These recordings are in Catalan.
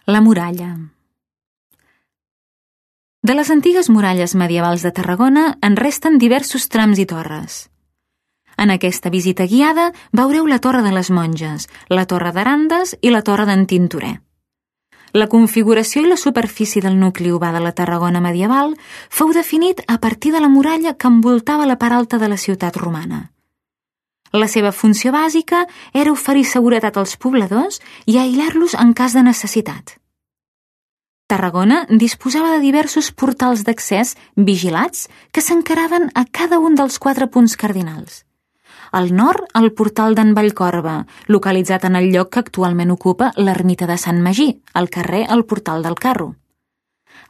La muralla. De les antigues muralles medievals de Tarragona en resten diversos trams i torres. En aquesta visita guiada veureu la Torre de les Monges, la Torre d'Arandes i la Torre d'en Tintorer. La configuració i la superfície del nucli urbà de la Tarragona medieval fou definit a partir de la muralla que envoltava la part alta de la ciutat romana. La seva funció bàsica era oferir seguretat als pobladors i aïllar-los en cas de necessitat. Tarragona disposava de diversos portals d'accés vigilats que s'encaraven a cada un dels 4 punts cardinals. Al nord, el portal d'en Vallcorba, localitzat en el lloc que actualment ocupa l'ermita de Sant Magí, al carrer el Portal del Carro.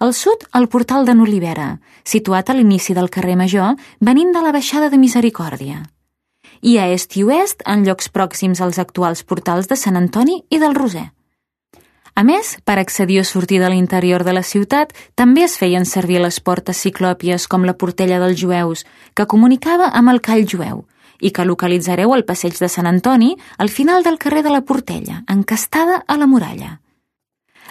Al sud, el portal d'en Olivera, situat a l'inici del carrer Major, venint de la baixada de Misericòrdia. I a est i oest, en llocs pròxims als actuals portals de Sant Antoni i del Roser. A més, per accedir o sortir de l'interior de la ciutat, també es feien servir les portes ciclòpies com la Portella dels Jueus, que comunicava amb el Call Jueu, i que localitzareu al passeig de Sant Antoni, al final del carrer de la Portella, encastada a la muralla.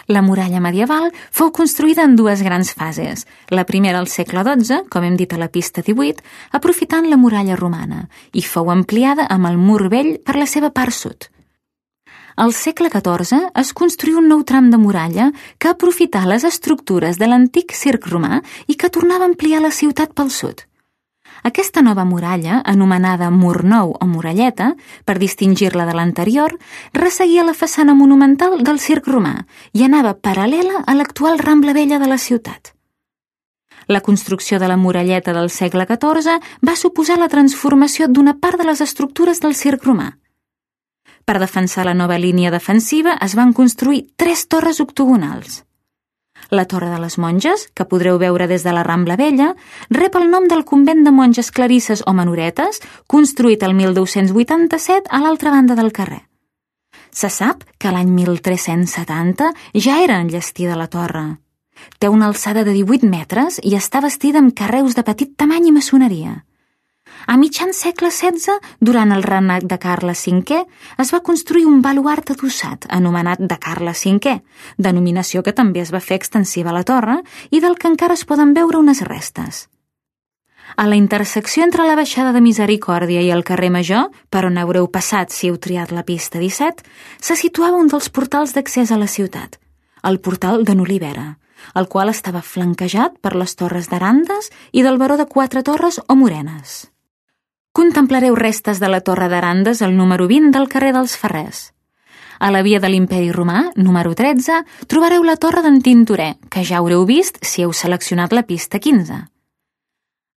La muralla medieval fou construïda en 2 grans fases, la primera al segle XII, com hem dit a la pista 18, aprofitant la muralla romana, i fou ampliada amb el mur vell per la seva part sud. Al segle XIV es construí un nou tram de muralla que aprofità les estructures de l'antic circ romà i que tornava a ampliar la ciutat pel sud. Aquesta nova muralla, anomenada Mur Nou o Muralleta, per distingir-la de l'anterior, resseguia la façana monumental del circ romà i anava paral·lela a l'actual Rambla Vella de la ciutat. La construcció de la muralleta del segle XIV va suposar la transformació d'una part de les estructures del circ romà. Per defensar la nova línia defensiva es van construir 3 torres octogonals. La Torre de les Monges, que podreu veure des de la Rambla Vella, rep el nom del convent de monges clarisses o menoretes, construït el 1287 a l'altra banda del carrer. Se sap que l'any 1370 ja era enllestida la torre. Té una alçada de 18 metres i està bastida amb carreus de petit tamany i maçoneria. A mitjan segle XVI, durant el regnat de Carles V, es va construir un baluard adossat, anomenat de Carles V, denominació que també es va fer extensiva a la torre i del que encara es poden veure unes restes. A la intersecció entre la baixada de Misericòrdia i el carrer Major, per on haureu passat si heu triat la pista 17, se situava un dels portals d'accés a la ciutat, el portal d'en Olivera, el qual estava flanquejat per les torres d'Arandes i del baró de 4 Torres o Morenes. Contemplareu restes de la Torre d'Arandes al número 20 del carrer dels Ferrers. A la via de l'Imperi Romà, número 13, trobareu la Torre d'en Tintorer, que ja haureu vist si heu seleccionat la pista 15.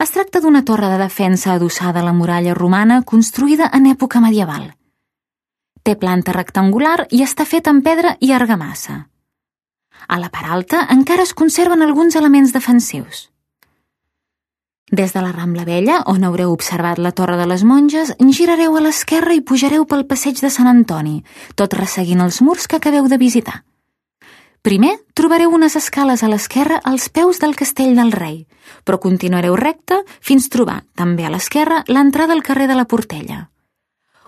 Es tracta d'una torre de defensa adossada a la muralla romana construïda en època medieval. Té planta rectangular i està feta amb pedra i argamassa. A la part alta encara es conserven alguns elements defensius. Des de la Rambla Vella, on haureu observat la Torre de les Monges, girareu a l'esquerra i pujareu pel passeig de Sant Antoni, tot resseguint els murs que acabeu de visitar. Primer, trobareu unes escales a l'esquerra als peus del Castell del Rei, però continuareu recte fins trobar, també a l'esquerra, l'entrada al carrer de la Portella.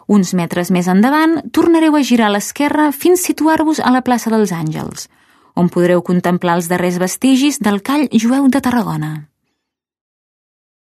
Uns metres més endavant, tornareu a girar a l'esquerra fins situar-vos a la plaça dels Àngels, on podreu contemplar els darrers vestigis del Call Jueu de Tarragona.